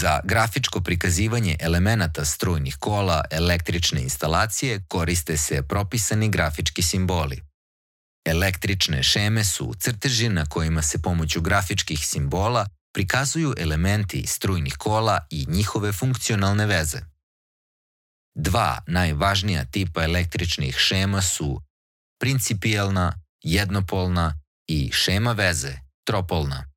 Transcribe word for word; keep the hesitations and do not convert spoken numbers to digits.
Za grafičko prikazivanje elemenata strujnih kola električne instalacije koriste se propisani grafički simboli. Električne šeme su crteži na kojima se pomoću grafičkih simbola prikazuju elementi strujnih kola i njihove funkcionalne veze. Dva najvažnija tipa električnih šema su principijelna, jednopolna i šema veze, tropolna.